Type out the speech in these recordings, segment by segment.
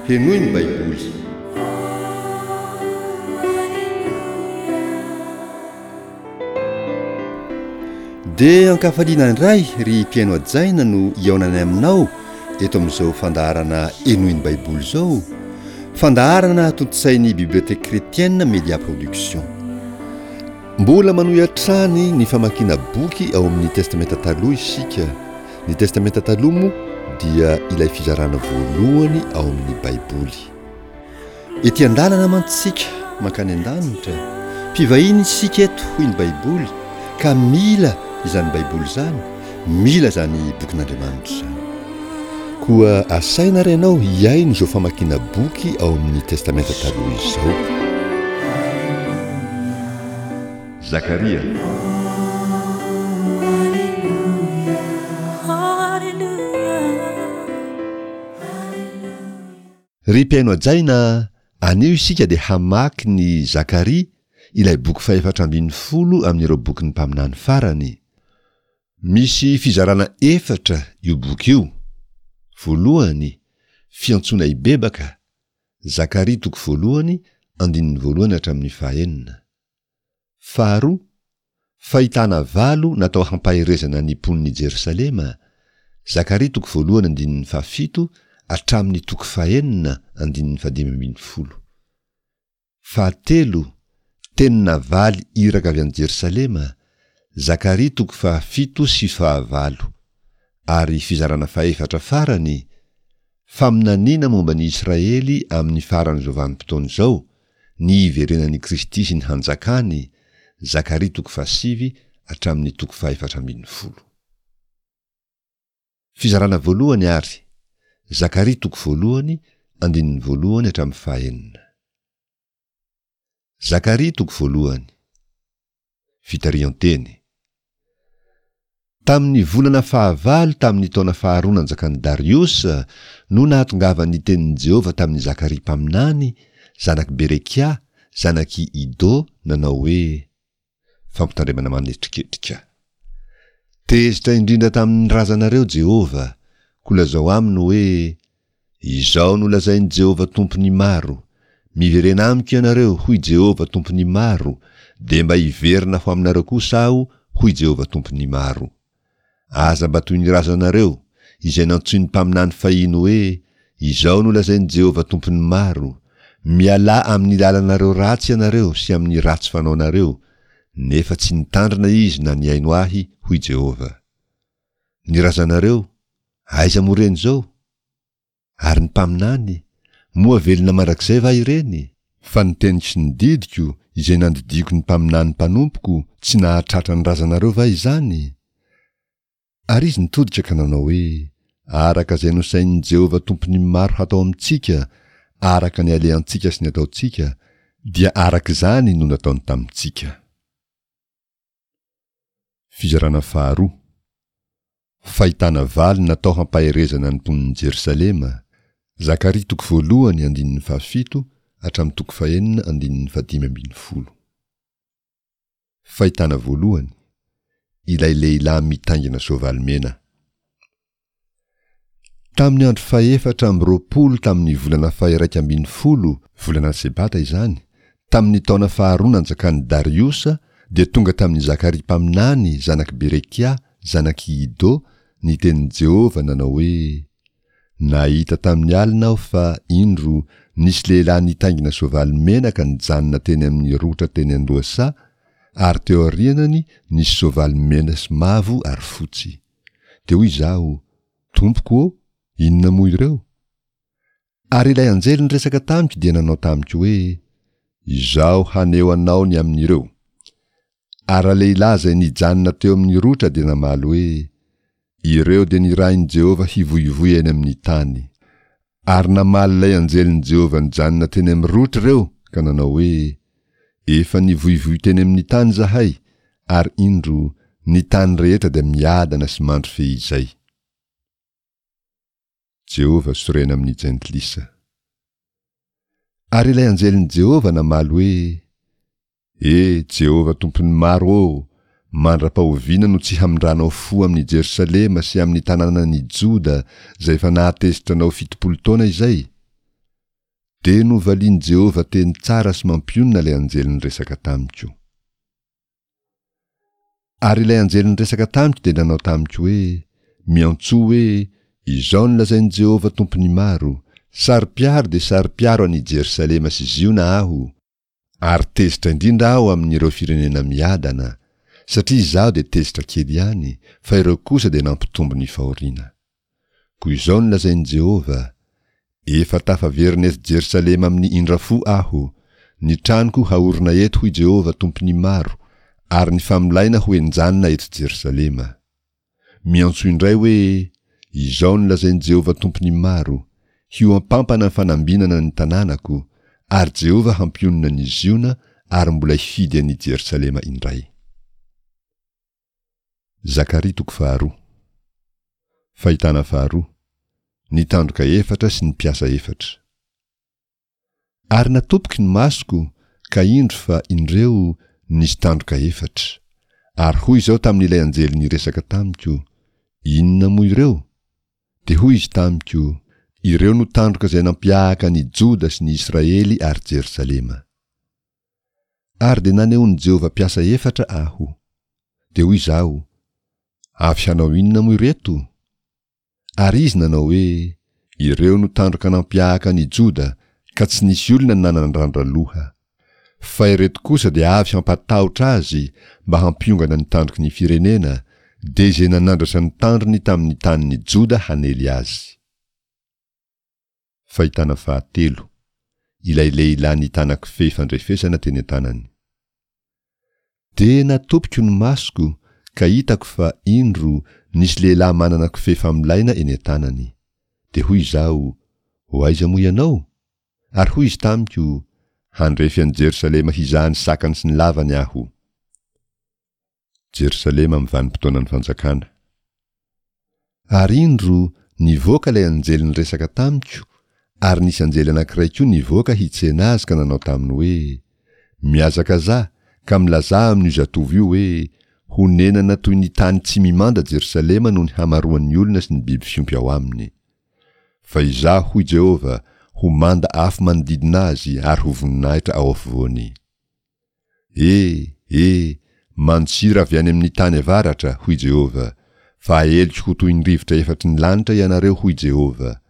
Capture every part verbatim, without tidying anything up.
Henoy ny Baiboly. Dia ankafaliana indray ry mpihaino hajaina no hihaonanay aminao eto amin'izao fandaharana Henoy ny Baiboly izao, fandaharana tontosain'ny Bibliothèque Chrétienne Media Production. Mbola manohy hatrany ny famakiana boky ao amin'ny Testamenta Taloha isika. Ny Testamenta Taloha moa dia ilay fizarana voalohany ao amin'ny Baiboly. Ety an-dalana mantsy isika mankany an-danitra. Mpivahiny isika eto, hoy ny Baiboly, ka mila izany Baiboly izany, mila izany bokin'Andriamanitra izany. Koa asaina ary ianao hihaino izao famakiana boky ao amin'ny Testamenta Taloha izao. Zakaria. Ry mpihaino hajaina, anio isika dia hamaky ny Zakaria, ilay boky fahefatra ambin'ny folo amin'ireo bokin'ny mpaminany farany. Misy fizarana efatra io boky io. Voalohany, fiantsoana hibebaka, Zakaria toko voalohany, andininy voalohany hatramin'ny fahenina. Faharoa, fahitana valo natao hampaherezana ny mponin'i Jerosalema, Zakaria toko voalohany andininy fahafito hatramin'ny toko fahenina andininy fahadimy ambin'ny folo. Fahatelo, teny navaly iraka avy any Jerosalema, Zakaria toko fahafito sy fahavalo. Ary fizarana fahefatra farany, faminaniana momba ny Israely amin'ny faran'izao vanim-potoana izao, ny hiverenan'i Kristy sy ny hanjakany, Zakaria toko fahasivy hatramin'ny toko fahefatra ambin'ny folo. Fizarana voalohany ary, Zakaria toko voalohany, andininy voalohany hatramin'ny fahenina. Zakaria toko voalohany. Fitarihan-teny. Tamin'ny volana fahavalo tamin'ny taona faharoa nanjakan'i Dariosa no nahatongavan'ny tenin'i Jehovah tamin'i Zakaria mpaminany, zanak'i Berekia, zanak'i Ido, nanao hoe, Fampitandremana manetriketrika. Tezitra indrindra tamin'ny razanareo Jehovah, koa lazao aminy hoe, Izao no lazain'i Jehovah Tompon'ny maro, Miverena amiko ianareo, hoy Jehovah Tompon'ny maro, dia mba hiverina ho aminareo kosa aho, hoy Jehovah Tompon'ny maro. Aza mba toy ny razanareo, izay nantsoin'ny mpaminany fahiny hoe, Izao no lazain'i Jehovah Tompon'ny maro, Mialà amin'ny lalanareo ratsy ianareo sy amin'ny ratsy fanaonareo, nefa tsy nitandrina izy na nihaino ahy, hoy Jehovah. Ny razanareo, aiza moa ireny izao? Ary ny mpaminany, moa velona mandrakizay va ireny? Fa ny teniko sy ny didiko, izay nandidiako ny mpaminany mpanompoko, tsy nahatratra ny razanareo va izany? Ary izy nitodika ka nanao hoe, Araka izay nosainin'i Jehovah Tompon'ny maro hatao amintsika, araka ny alehantsika sy ny ataontsika, dia araka izany no nataony tamintsika. Fizarana faharoa. Fahitana valo natao hampaherezana ny mponin'i Jerosalema, Zakaria toko voalohany andininy fahafito hatramin'ny toko fahenina andininy fahadimy ambin'ny folo. Fahitana voalohany, ilay lehilahy mitaingina soavaly mena. Tamin'ny andro fahefatra amby roapolo tamin'ny volana faha-iraika ambin'ny folo, volana Sebata izany, tamin'ny taona faharoa nanjakan'i Dariosa, dia tonga tamin'i Zakaria mpaminany, zanak'i Berekia, zanak'i Ido, ny tenin'i Jehovah nanao hoe, Nahita tamin'ny alina aho fa, indro, nisy lehilahy nitaingina soavaly mena ka nijanona teny amin'ny rotra teny an-dohasaha, ary teo aorianany nisy soavaly mena sy mavo ary fotsy. Dia hoy izaho, Tompoko ô, inona moa ireo? Ary ilay anjely niresaka tamiko dia nanao tamiko hoe, Izaho haneho anao ny amin'ireo. Ary ralehilahy izay nijanona teo amin'ny rotra dia namaly hoe, Ireo dia nirahin'i Jehovah hivoivoy eny amin'ny tany. Ary namaly ilay anjelin'i Jehovah nijanona teny amin'ny rotra ireo ka nanao hoe, Efa nivoivoy teny amin'ny tany izahay, ary indro, ny tany rehetra dia miadana sy mandry fehizay. Jehovah sorena amin'ny jentilisa. Ary ilay anjelin'i Jehovah namaly hoe, E, Jehovah Tompon'ny maro ô, mandra-pahoviana no tsy hamindranao fo amin'i Jerosalema sy amin'ny tanànan'i Joda izay efa nahatezitra anao fitopolo taona izay? Dia novalian'i Jehovah teny tsara sy mampionona ilay anjely niresaka tamiko. Ary ilay anjely niresaka tamiko dia nanao tamiko hoe, Miantsoa hoe, Izao no lazain'i Jehovah Tompon'ny maro, Saro-piaro dia saro-piaro an'i Jerosalema sy Ziona aho, ary tezitra indrindra aho amin'ireo firenena miadana, satria izaho dia tezitra kely ihany, fa ireo kosa dia nampitombo ny fahoriana. Koa izao no lazain'i Jehovah, Efa tafaverina eto Jerosalema amin'ny indra-fo aho. Ny tranoko haorina eto, hoy Jehovah, Tompon'ny maro, ary ny famolaina ho henjanina eto Jerosalema. Miantso indray hoe, Izao no lazain'i Jehovah Tompon'ny maro, Hihoampampana ny fanambinana ny tanànako, ary Jehovah hampionona an'i Ziona ary mbola hifidy an'i Jerosalema indray. Zakaria toko faharoa. Fahitana faharoa. Ny tandroka efatra sy ny mpiasa efatra. Ary natopiky ny masoko, ka indro fa, indreo, nisy tandroka efatra. Ary hoy izao tamin'ilay anjely niresaka tamiko, Inona moa ireo? Dia hoy izy tamiko, Ireo no tandroka izay nampiahaka an'i Joda sy ny Israely ary Jerosalema. Ary dia nanehoan'i Jehovah mpiasa efatra aho. Dia hoy izaho, Avy hanao inona moa ireto? Ary izy nanao hoe, Ireo no tandroka nampiahaka an' i Joda, ka tsy nisy olona nanandrandra loha. Fa ireto kosa dia avy hampatahotra azy mba hampiongana ny tandroky ny firenena, dia izay nanandratra ny tandrony tamin' ny tanin' i Joda hanely azy. Fahitana fahatelo, Ilay lehilahy nitana kofehy fandrefesana teny an-tanany. Dia natopiko ny masoko, ka hitako fa, indro, nisy lehilahy manana kofehy famolaina eny an-tanany. Dia hoy izaho, Ho aiza moa ianao? Ary hoy izy tamiko, Handrefy an'i Jerosalema hizaha ny sakany sy ny lavany aho. Jerosalema amin'ny vanim-potoanan'ny fanjakana. Ary indro, nivoaka ilay anjely niresaka tamiko, ary nisy anjely anankiray koa nivoaka hitsena azy ka nanao taminy hoe, Mihazakazaha, ka milazà amin'io zatovo io hoe, Honenana toy ny tany tsy mimanda Jerosalema noho ny hamaroan'ny olona sy ny biby fiompy ao aminy. Fa Izaho, hoy Jehovah, ho manda afo manodidina azy ary ho voninahitra ao afovoany. E! E! Mandosira avy any amin'ny tany avaratra, hoy Jehovah, fa aheliko ho toy ny rivotra efatry ny lanitra ianareo, hoy Jehovah.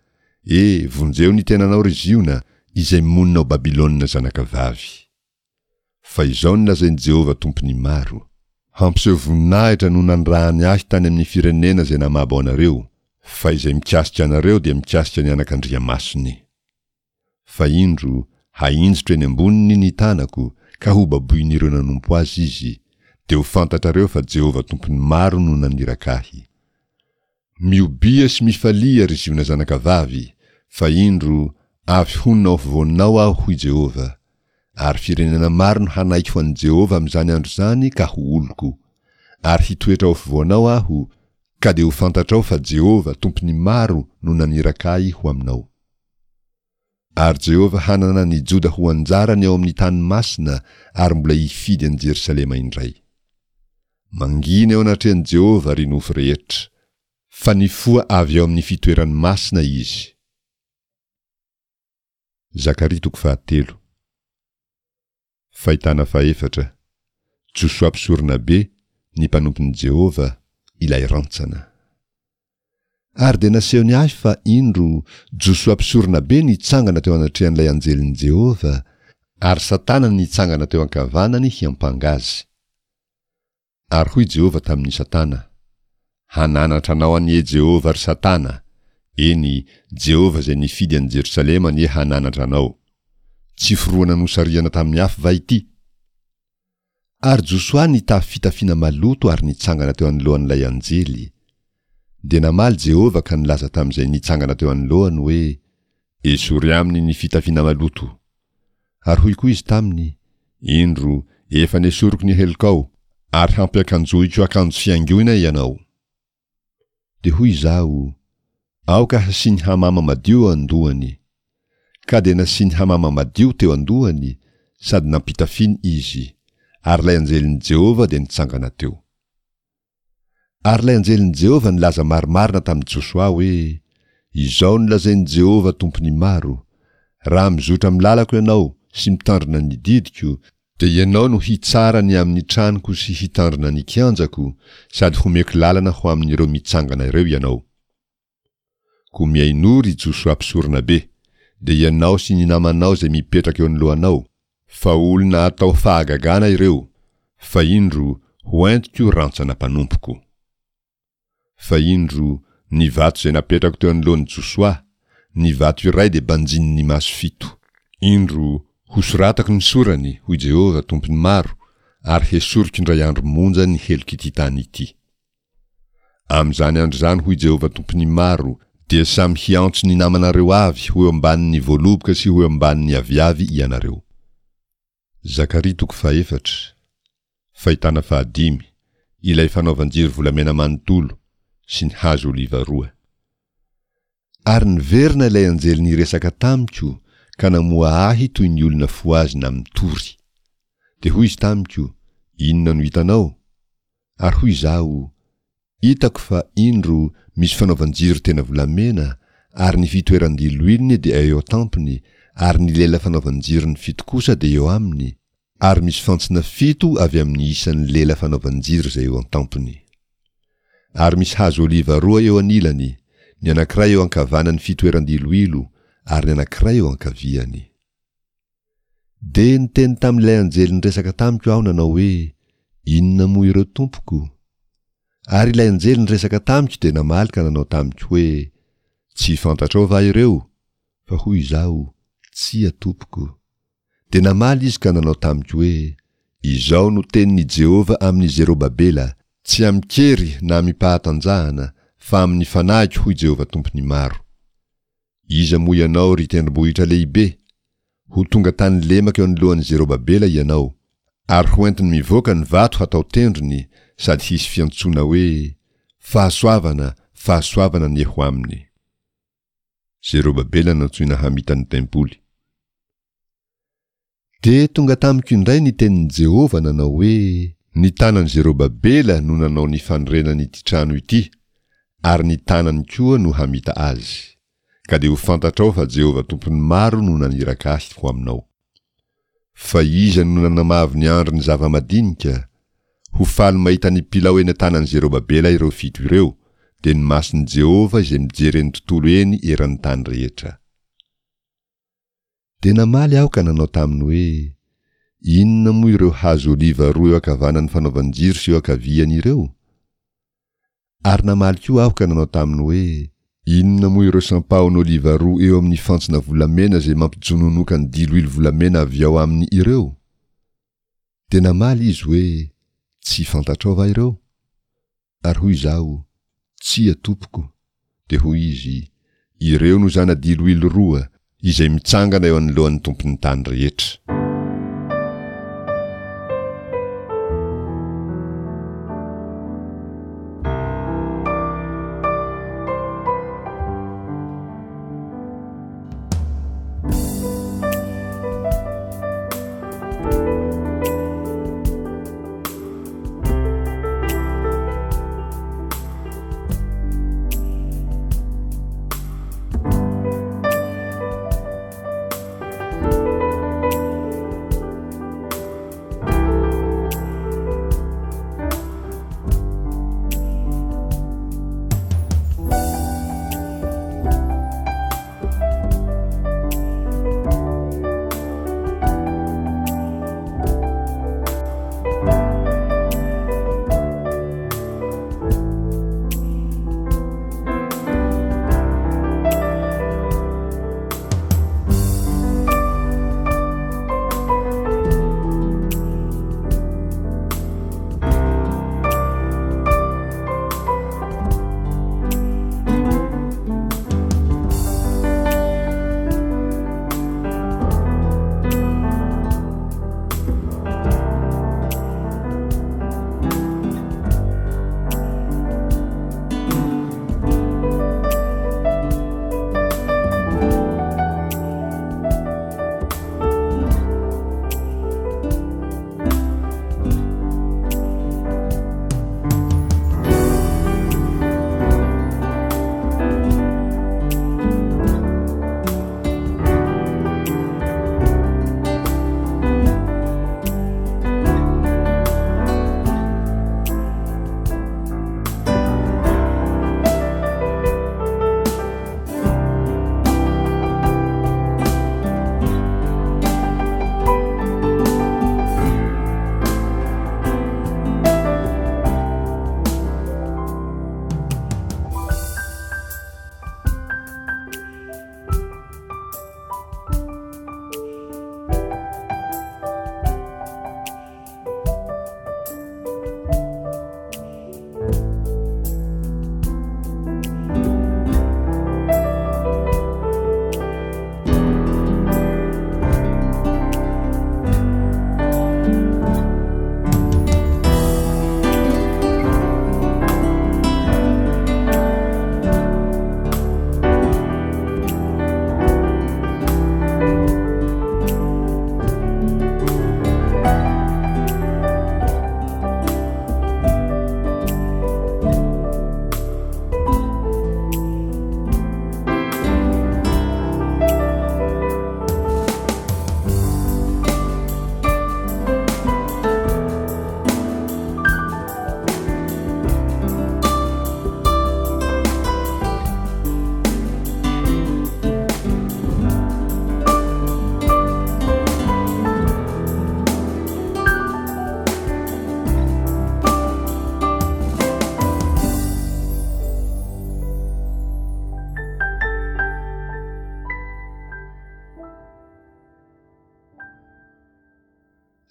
E! Vonjeo ny tenanao, ry Ziona, izay monina ao Babylona zanakavavy. Fa izao no lazain'i Jehovah Tompon'ny maro, Hampiseho voninahitra no nanirahany ahy tany amin'ny firenena izay namabo anareo, fa izay mikasika anareo dia mikasika ny anakandriamasony. Fa indro, hahinjitro eny amboniny ny tanako, ka hobaboin'ireo nanompo azy izy, dia ho fantatrareo fa Jehovah Tompon'ny maro no naniraka ahy. Miobia sy mifalia, ry Ziona zanakavavy, fa indro, avy honina ao afovoanao Aho, hoy Jehovah. Ary firenena maro no hanaiky ho an'i Jehovah amin'izany andro izany ka ho oloko. Ary hitoetra ao afovoanao Aho, ka dia ho fantatrao fa Jehovah, Tompon'ny maro, no naniraka ahy ho aminao. Ary Jehovah hanana an'i Joda ho anjarany ao amin'ny tany masina ary mbola hifidy an'i Jerosalema indray. Mangina eo anatrehan'i Jehovah, ry nofo rehetra, fa nifoha avy ao amin'ny fitoerany masina izy. Zakaria toko fahatelo. Fahitana fahefatra, Josoa Mpisoronabe, ny mpanompon'i Jehovah, ilay rantsana. Ary dia nasehony ahy fa, indro, Josoa Mpisoronabe nitsangana teo anatrehan'ilay anjelin'i Jehovah, ary Satana nitsangana teo ankavanany hiampanga azy. Ary hoy Jehovah tamin'i Satana, Hananatra anao anie Jehovah, ry Satana! Eny, Jehovah izay nifidy an'i Jerosalema anie hananatra anao! Tsy forohana nosarihana tamin'ny afo va ity? Ary Josoa nitafy fitafiana maloto ary nitsangana teo anoloan'ilay anjely. Dia namaly Jehovah ka nilaza tamin'izay nitsangana teo anoloany hoe, Esory aminy ny fitafiana maloto. Ary hoy koa izy taminy, Indro, efa nesoriko ny helokao, ary hampiakanjohiko akanjo fihaingoina ianao. Dia hoy izaho, Aoka hasiany hamama madio eo an-dohany. Ka dia nasiany hamama madio teo an-dohany, sady nampitafiany izy, ary ilay anjelin'i Jehovah dia nitsangana teo. Ary ilay anjelin'i Jehovah nilaza marimarina tamin'i Josoa hoe, Izao no lazain'i Jehovah Tompon'ny maro, Raha mizotra amin'ny lalako ianao sy mitandrina ny didiko, dia ianao no hitsara ny amin'ny tranoko sy hitandrina ny kianjako, sady homeko lalana ho amin'ireo mitsangana ireo ianao. Koa mihainoa, ry Josoa mpisoronabe, dia ianao sy ny namanao izay mipetraka eo anoloanao, fa olona atao fahagagana ireo, fa indro, hoentiko rantsana mpanompoko. Fa indro, ny vato izay napetrako teo anoloan'i Josoa, ny vato iray dia banjinin'ny maso fito. Indro, hosoratako ny sorany, hoy Jehovah, Tompon'ny maro, ary hesoriko indray andro monja ny helok'ity tany ity. Amin'izany andro izany, hoy Jehovah Tompon'ny maro, dia samy hiantso ny namanareo avy ho eo ambanin'ny voaloboka sy ho eo ambanin'ny aviavy ianareo. Zakaria toko fahefatra, Fahitana fahadimy, ilay fanaovan-jiro volamena manontolo sy ny hazo oliva roa. Ary niverina ilay anjely niresaka tamiko ka namoha ahy toy ny olona fohazina mitory. Dia hoy izy tamiko, Inona no hitanao? Ary hoy izaho, Hitako fa, indro, misy fanaovan-jiro tena volamena, ary ny fitoeran-diloilony dia eo an-tampony, ary ny lela fanaovan-jirony fito kosa dia eo aminy, ary misy fantsona fito avy amin'ny isan'ny lela fanaovan-jiro izay eo an-tampony. Ary misy hazo oliva roa eo anilany, ny anankiray eo ankavanan'ny fitoeran-diloilo, ary ny anankiray eo ankaviany. Dia niteny tamin'ilay anjely niresaka tamiko aho nanao hoe, Inona moa ireo tompoko? Ary ilay anjely niresaka tamiko dia namaly ka nanao tamiko hoe, Tsy fantatrao va ireo? Fa hoy izaho, Tsia, tompoko. Dia namaly izy ka nanao tamiko hoe, Izao no tenin'i Jehovah amin'i Zerobabela, Tsy amin-kery na amim-pahatanjahana, fa amin'ny fanahiko, hoy Jehovah Tompon'ny maro. Iza moa ianao, ry tendrombohitra lehibe? Ho tonga tany lemaka eo anoloan'i Zerobabela ianao, ary hoentiny mivoaka ny vato hatao tendrony, sady hisy fiantsoana hoe, Fahasoavana, fahasoavana anie ho aminy. Zerobabela nantsoina hamita ny tempoly. Dia tonga tamiko indray ny tenin'i Jehovah nanao hoe, Ny tanan'i Zerobabela no nanao ny fanorenana ity trano ity, ary ny tanany koa no hamita azy. Ka dia ho fantatrao fa Jehovah Tompon'ny maro no naniraka ahy ho aminao. Fa iza no nanamavo ny andron'ny zava-madinika? Ho faly mahita ny pilao eny an-tanan'i Zerobabela ireo fito ireo, dia ny mason'i Jehovah izay mijery eny tontolo eny eran'ny tany rehetra. Dia namaly aho ka nanao taminy hoe, Inona moa ireo hazo oliva roa eo ankavanan'ny fanaovan-jiro sy eo ankaviany ireo? Ary namaly koa aho ka nanao taminy hoe, Inona moa ireo sampahon'oliva roa eo amin'ny fantsona volamena izay mampijononoka ny diloilo volamena avy ao aminy ireo? Dia namaly izy hoe, Tsy fantatrao va ireo? Ary hoy izaho, Tsia, tompoko. Dia hoy izy, Ireo no zana-diloilo roa, izay mitsangana eo anoloan'ny Tompon'ny tany rehetra.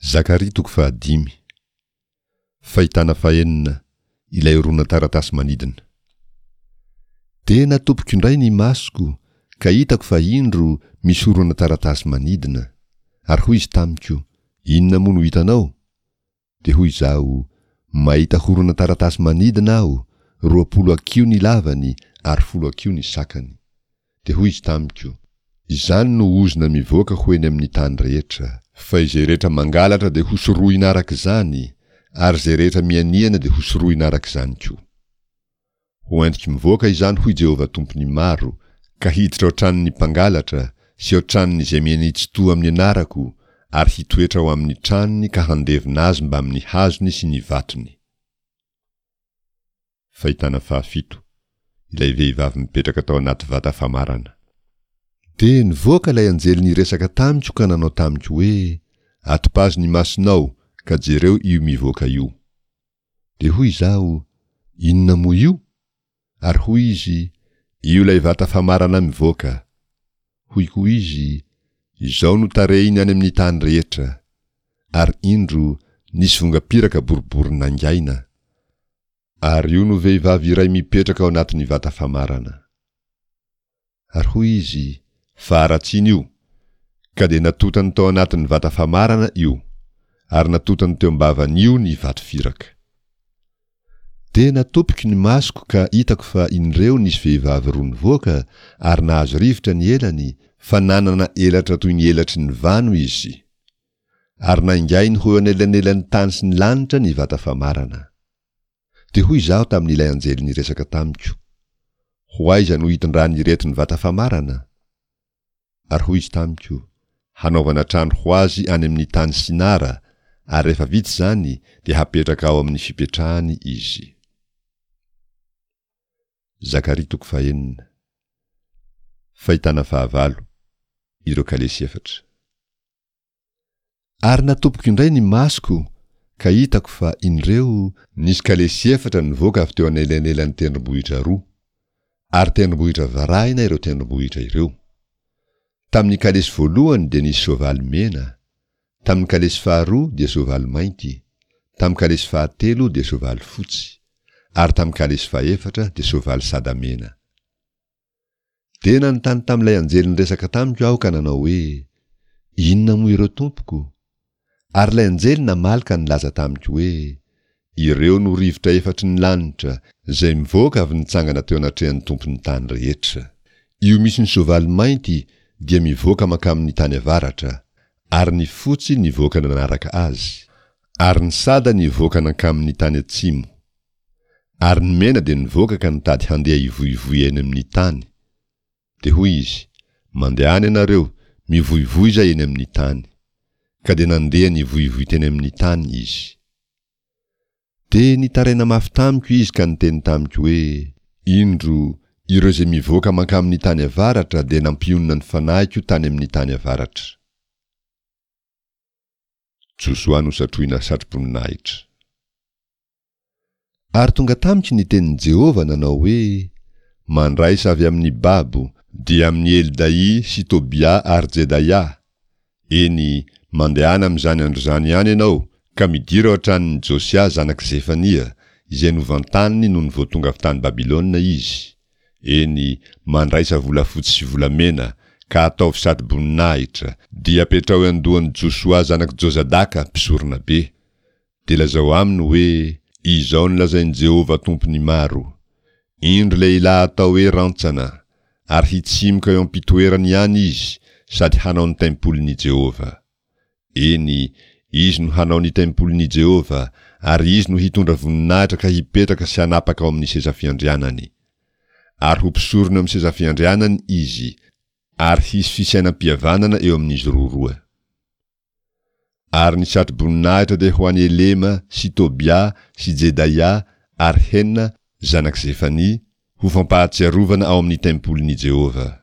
Zakaria toko fahadimy. Fahitana fahenina, ilay horonan-taratasy manidina. Dia natopiko indray ny masoko, ka hitako fa indro misy horonan-taratasy manidina. Ary hoy izy tamiko, Inona moa no hitanao? Dia hoy izaho, Mahita horonan-taratasy manidina aho, roapolo hakiho ny lavany ary folo hakiho ny sakany. Dia hoy izy tamiko, Izany no ozona mivoaka ho eny amin'ny tany rehetra. Fa izay rehetra mangalatra dia hosorohina araka izany, ary izay rehetra mianiana dia hosorohina araka izany koa. Ho entiko mivoaka izany, hoy Jehovah Tompon'ny maro, ka hiditra ao an-tranon'ny mpangalatra, sy ao an-tranon'izay miania-tsy-to amin'ny anarako, ary hitoetra ao amin'ny tranony ka handevona azy mbamin'ny hazony sy ny vatony. Fahitana fahafito, ilay vehivavy mipetraka tao anaty vata famarana. Dia nivoaka ilay anjely niresaka tamiko ka nanao tamiko hoe, Atopazo ny masonao, ka jereo io mivoaka io. Dia hoy izaho, Inona moa io? Ary hoy izy, Io ilay vata famarana mivoaka. Hoy koa izy, Izao no tarehiny any amin'ny tany rehetra. Ary indro, nisy vongam-piraka boribory nangaina. Ary io no vehivavy iray mipetraka ao anatin'ny vata famarana. Ary hoy izy, Faharatsiana io! Ka dia natotany tao anatin'ny vata famarana io, ary natotany teo am-bavan'io ny vato firaka. Dia natopiko ny masoko ka hitako fa indreo nisy vehivavy roa nivoaka ary nahazo rivotra ny elany, fa nanana elatra toy ny elatry ny vano izy. Ary naingainy ho eo anelanelan'ny tany sy ny lanitra ny vata famarana. Dia hoy izaho tamin'ilay anjely niresaka tamiko, Ho aiza no hitondran'ireto ny vata famarana? Ary hoy izy tamiko, Hanaovana trano ho azy any amin'ny tany Sinara, ary rehefa vita izany, dia hapetraka ao amin'ny fipetrahany izy. Zakaria toko fahenina. Fahitana fahavalo, ireo kalesy efatra. Ary natopiko indray ny masoko, ka hitako fa, indreo, nisy kalesy efatra nivoaka avy teo anelanelan'ny tendrombohitra roa, ary tendrombohitra varahina ireo tendrombohitra ireo. Tamin'ny kalesy voalohany dia nisy soavaly mena, tamin'ny kalesy faharoa dia soavaly mainty, tamin'ny kalesy fahatelo dia soavaly fotsy, ary tamin'ny kalesy fahefatra dia soavaly sada mena. Dia nanontany tamin'ilay anjely niresaka tamiko aho ka nanao hoe, Inona moa ireo tompoko? Ary ilay anjely namaly ka nilaza tamiko hoe, Ireo no rivotra efatry ny lanitra, izay mivoaka avy nitsangana teo anatrehan'ny Tompon'ny tany rehetra. Io misy ny soavaly mainty dia mivoaka mankamin'ny tany avaratra, ary ny fotsy nivoaka nanaraka azy, ary ny sada nivoaka nankamin'ny tany atsimo. Ary ny mena dia nivoaka ka nitady handeha hivoivoy eny amin'ny tany. Dia hoy izy, Mandehana ianareo, mivoivoiza eny amin'ny tany. Ka dia nandeha nivoivoy teny amin'ny tany izy. Dia nitaraina mafy tamiko izy ka niteny tamiko hoe, Indro, ireo izay mivoaka mankamin'ny tany avaratra dia nampionona ny fanahiko tany amin'ny tany avaratra. Josoa nosatrohina satroboninahitra. Ary tonga tamiko ny tenin'i Jehovah nanao hoe, Mandraisa avy amin'ny babo, dia amin'i Heldaia sy Tobia ary Jedaia, eny, mandehana amin'izany andro izany ihany ianao, ka midira ao an-tranon'i Josia zanak'i Zefania, izay novantaniny nony vao tonga avy tany Babylona izy, eny, mandraisa volafotsy sy volamena, ka ataovy satroboninahitra, dia apetraho eo an-dohan'i Josoa zanak'i Jozadaka mpisoronabe. Dia lazao aminy hoe, 'Izao no lazain'i Jehovah Tompon'ny maro, Indro lehilahy atao hoe Rantsana, ary hitsimoka eo am-pitoerany ihany izy sady hanao ny tempolin'i Jehovah. Eny, izy no hanao ny tempolin'i Jehovah, ary izy no hitondra voninahitra ka hipetraka sy hanapaka ao amin'ny seza fiandrianany. Ary ho mpisorona eo amin'ny seza fiandrianany izy, ary hisy fisainam-pihavanana eo amin'izy roroa. Ary ny satroboninahitra dia ho an'i Elema sy Tobia sy Jedaia ary Hena, zanak'i Zefania, ho fampahatsiarovana ao amin'ny tempolin'i Jehovah.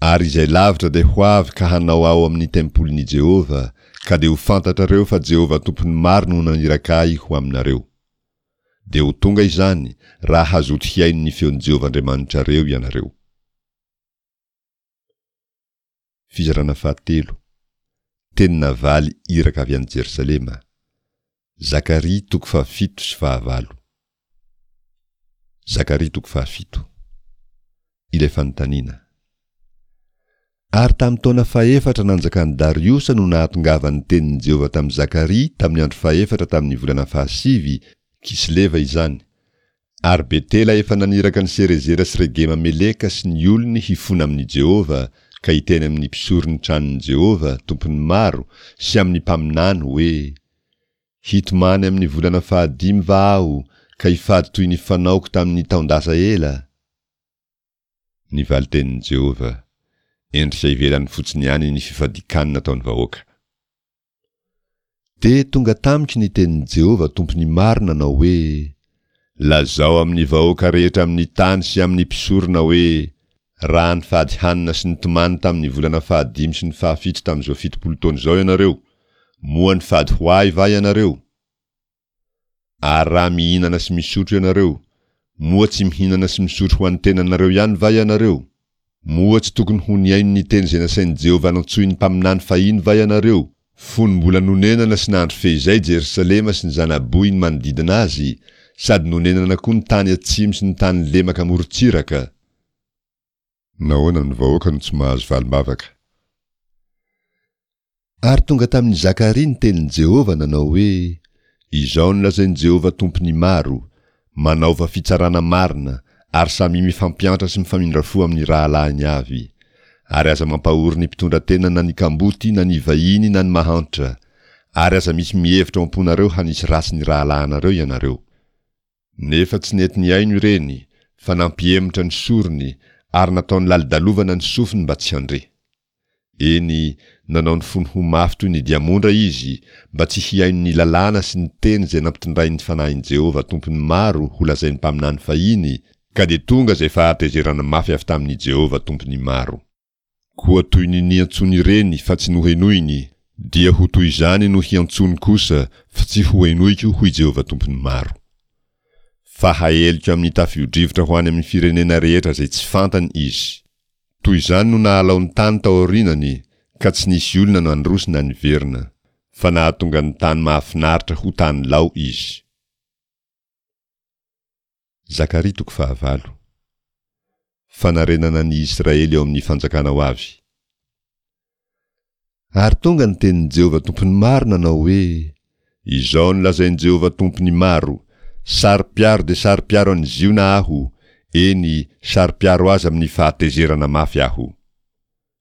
Ary izay lavitra dia ho avy ka hanao ao amin'ny tempolin'i Jehovah, ka dia ho fantatrareo fa Jehovah Tompon'ny maro no naniraka ahy ho aminareo. Dia ho tonga izany, raha hazoto hihaino ny feon'i Jehovah Andriamanitrareo ianareo. Fizarana fahatelo, Teny navaly iraka avy any Jerosalema. Zakaria toko fahafito sy fahavalo. Zakaria toko fahafito. Ilay fanontaniana. Ary tamin'ny taona fahefatra nanjakan'i Dariosa no nahatongavan'ny tenin'i Jehovah tamin'i Zakaria tamin'ny andro fahefatra tamin'ny volana fahasivy, Kisleva izany. Ary Betela efa naniraka an'i Serezera sy Regema-meleka sy ny olony hifona amin'i Jehovah ka hiteny amin'ny mpisoron'ny tranon'i Jehovah, Tompon'ny maro, sy amin'ny mpaminany hoe, Hitomany amin'ny volana fahadimy va aho ka hifady toy ny fanaoko tamin'ny taon-dasa ela? Ny valin-tenin'i Jehovah, Endrika ivelany fotsiny ihany ny fifadian-kanina ataon'ny vahoaka. Dia tonga tamiko ny tenin'i Jehovah Tompon'ny maro nanao hoe, Lazao amin'ny vahoaka rehetra amin'ny tany sy amin'ny mpisorona hoe, Raha nifady hanina sy nitomany tamin'ny volana fahadimy sy ny fahafito tamin'izao fitopolo taona izao ianareo, moa nifady ho ahy va ianareo? Ary raha mihinana sy misotro ianareo, moa tsy mihinana sy misotro ho an'ny tenanareo ihany va ianareo? Moa tsy tokony ho nihaino ny teny izay nasain'i Jehovah nantsoin'ny mpaminany fahiny va ianareo, fony mbola nonenana sy nandry feizay Jerosalema sy ny zana-bohiny manodidina azy, sady nonenana koa ny tany atsimo sy ny tany lemaka amorontsiraka? Nahoana ny vahoaka no tsy mahazo valim-bavaka? Ary tonga tamin'i Zakaria ny tenin'i Jehovah nanao hoe, Izao no lazain'i Jehovah Tompon'ny maro, Manaova fitsarana marina, ary samia mifampiantra sy mifamindra fo amin'ny rahalahiny avy. Ary aza mampahory ny mpitondra tena na ny kamboty na ny vahiny na ny mahantra. Ary aza misy mihevitra ao am-ponareo hanisy ratsy ny rahalahinareo ianareo. Nefa tsy nety nihaino ireny, fa nampihemotra ny sorony, ary nataony lalodalovana ny sofiny mba tsy handre. Eny, nanao ny fony ho mafy toy ny diamondra izy, mba tsy hihaino ny lalàna sy ny teny izay nampitondrain'ny Fanahin'i Jehovah Tompon'ny maro holazain'ny mpaminany fahiny, ka dia tonga izay fahatezerana mafy avy tamin'i Jehovah Tompon'ny maro. Koa toy ny niantsoany ireny fa tsy nohenoiny, dia ho toy izany no hiantsoany kosa fa tsy hohenoiko, hoy Jehovah Tompon'ny maro. Fa haeliko amin'ny tafio-drivotra ho any amin'ny firenena rehetra izay tsy fantany izy. Toy izany no nahalao ny tany tao aorianany, ka tsy nisy olona nandroso na niverina, fa nahatonga ny tany mahafinaritra ho tany lao izy. Zakaria toko fahavalo. Fanarenana ny Israely ao amin'ny fanjakana ho avy. Ary tonga ny tenin'i Jehovah Tompon'ny maro nanao hoe, Izao no lazain'i Jehovah Tompon'ny maro, Saro-piaro dia saro-piaro an'i Ziona aho, eny, saro-piaro azy amin'ny fahatezerana mafy aho.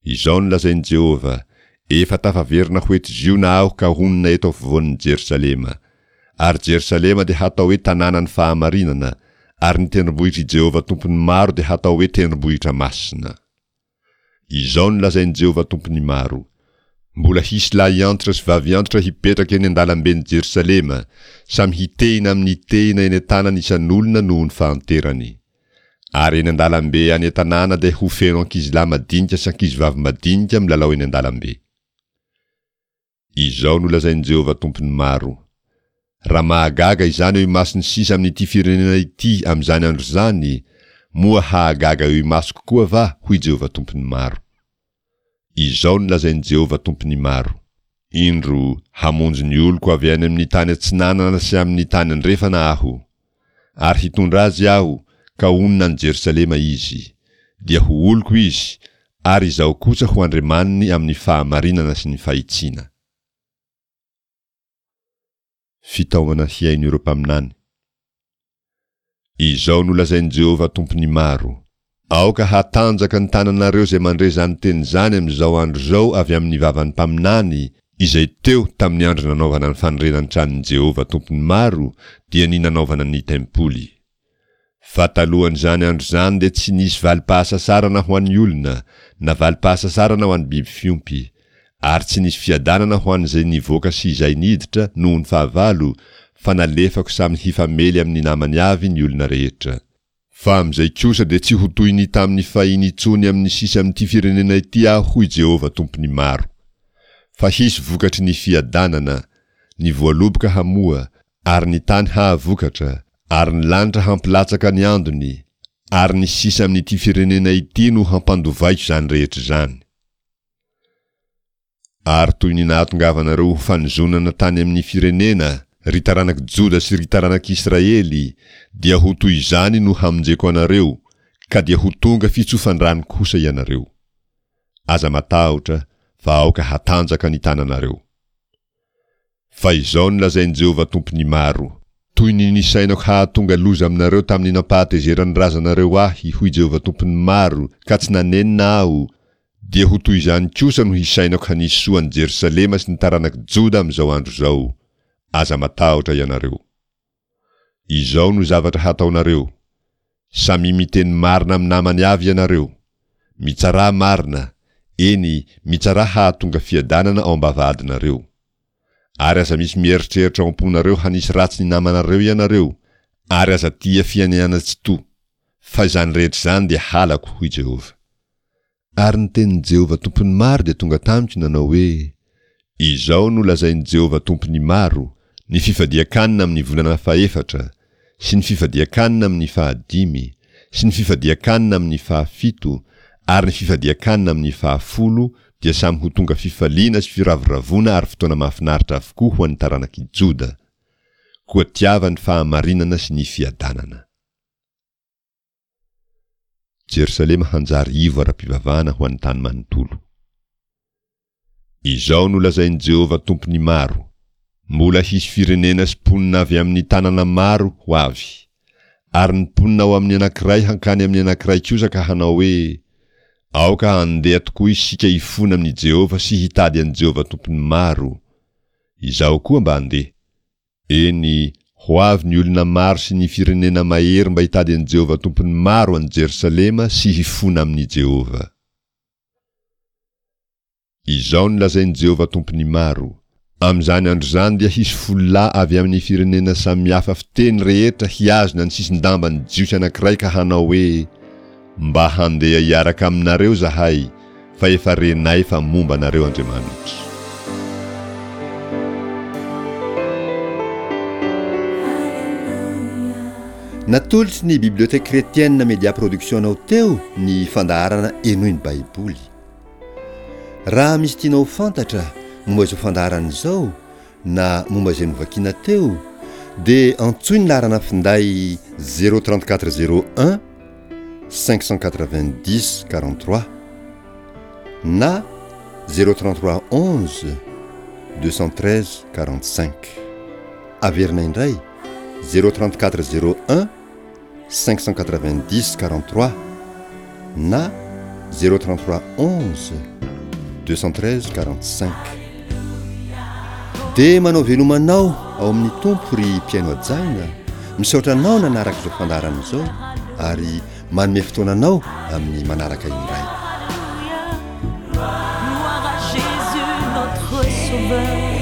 Izao no lazain'i Jehovah, Efa tafaverina ho eto Ziona aho ka honina eto afovoan'i Jerosalema. Ary Jerosalema dia hatao hoe tanànan'ny fahamarinana, ary ny tendrombohitr'i Jehovah Tompon'ny maro dia hatao hoe tendrombohitra masina. Izao no lazain'i Jehovah Tompon'ny maro, Mbola hisy lahy antitra sy vavy antitra hipetraka eny an-dalamben'i Jerosalema, samy hitehina amin'ny tehina eny an-tanany isan'olona noho ny fahanterany. Ary eny an-dalambe any an-tanàna dia ho feno ankizilahy madinika sy ankizivavy madinika milalao eny an-dalambe. Izao no lazain'i Jehovah Tompon'ny maro, Raha mahagaga izany eo imason'ny sisa amin'ity firenena ity amin'izany andro izany, moa hahagaga eo imasoko koa va? hoy Jehovah Tompon'ny maro. Izao no lazain'i Jehovah Tompon'ny maro, Indro, hamonjy ny oloko avy any amin'ny tany atsinanana sy amin'ny tany andrefana Aho, ary hitondra azy Aho, ka honina any Jerosalema izy. Dia ho oloko izy, ary Izaho kosa ho Andriamaniny amin'ny fahamarinana sy ny fahitsiana. Fitaomana hihaino ireo mpaminany. Izao no lazain'i Jehovah Tompon'ny maro, Aoka hatanjaka ny tananareo izay mandre izany teny izany amin'izao andro izao avy amin'ny vavan'ny mpaminany, izay teo tamin'ny andro nanaovana ny fanorenan'ny tranon'i Jehovah Tompon'ny maro, dia ny nanaovana ny tempoly. Fa talohan'izany andro izany dia tsy nisy valim-pahasasarana ho an'ny olona, na valim-pahasasarana ho an'ny biby fiompy, ary tsy nisy fiadanana ho an'izay nivoaka sy izay niditra noho ny fahavalo, fa nalefako samy hifamely amin'ny namany avy ny olona rehetra. Fa amin'izay kosa dia tsy ho toy ny tamin'ny fahiny intsony amin'ny sisa amin'ity firenena ity Aho, hoy Jehovah Tompon'ny maro. Fa hisy vokatry ny fiadanana, ny voaloboka hamoa, ary ny tany hahavokatra, ary ny lanitra hampilatsaka ny andony, ary ny sisa amin'ity firenena ity no hampandovaiko izany rehetra izany. Ary toy ny nahatongavanareo ho fanozonana tany amin'ny firenena, ry taranak'i Joda sy ry taranak'Israely, dia ho toy izany no hamonjeko anareo, ka dia ho tonga fitsofan-drano kosa ianareo. Aza matahotra, fa aoka hatanjaka ny tananareo. Fa izao no lazain'i Jehovah Tompon'ny maro, Toy ny nisainako hahatonga loza aminareo tamin'ny nampahatezeran'ny razanareo ahy, hoy Jehovah Tompon'ny maro, ka tsy nanenina aho, dia ho toy izany kosa no hisainako hanisy soa an'i Jerosalema sy ny taranak'i Joda amin'izao andro izao. Aza matahotra ianareo. Izao no zavatra hataonareo, Samia miteny marina amin'ny namany avy ianareo. Mitsarà marina, eny, mitsarà hahatonga fiadanana ao am-bavahadinareo. Ary aza misy mieritreritra ao am-ponareo hanisy ratsy ny namanareo ianareo, ary aza tia fianianana tsy to, fa izany rehetra izany dia halako, hoy Jehovah. Ary ny tenin'i Jehovah Tompon'ny maro dia tonga tamiko nanao hoe, Izao no lazain'i Jehovah Tompon'ny maro, Ny fifadian-kanina amin'ny volana fahefatra, sy ny fifadian-kanina amin'ny fahadimy, sy ny fifadian-kanina amin'ny fahafito, ary ny fifadian-kanina amin'ny fahafolo dia samy ho tonga fifaliana sy firavoravoana ary fotoana mahafinaritra avokoa ho an'ny taranak'i Joda. Koa tiava ny fahamarinana sy ny fiadanana. Jerosalema hanjary ivo ara-pivavahana ho an'ny tany manontolo. Izao no lazain'i Jehovah Tompon'ny maro, Mbola hisy firenena sy mponina avy amin'ny tanana maro ho avy. Ary ny mponina ao amin'ny anankiray hankany amin'ny anankiray kosa ka hanao hoe, Aoka handeha tokoa isika hifona amin'i Jehovah sy hitady an'i Jehovah Tompon'ny maro. Izaho koa mba handeha. Eny, ho avy ny olona maro sy ny firenena mahery mba hitady an'i Jehovah Tompon'ny maro any Jerosalema sy hifona amin'i Jehovah. Izao no lazain'i Jehovah Tompon'ny maro, Amin'izany andro izany dia hisy folo lahy avy amin'ny firenena samihafa fiteny rehetra hihazona ny sisin-damban'ny Jiosy anankiray ka hanao hoe, Mba handeha hiaraka aminareo izahay, fa efa renay fa momba anareo Andriamanitra. Natolotry ny Bibliothèque Chrétienne Media Production anao teo ny fandaharana Henoy ny Baiboly. Raha misy tianao ho fantatra momba izao fandaharana izao na momba izay novakiana teo dia antsoy ny laharana finday zéro trente quatre zéro un cinq cent quatre-vingt-dix quarante-trois na zéro trente-trois onze deux cent treize quarante-cinq. Averina indray zéro trente-quatre zéro un cinq cent quatre-vingt-dix quarante-trois na zéro trente-trois onze deux cent treize quarante-cinq. Dia manao veloma anao ao amin'ny Tompo ry mpihaino hajaina, misaotra anao nanaraka izao fandaharana izao ary manome fotoana anao amin'ny manaraka indray. Gloire à Jésus notre sauveur.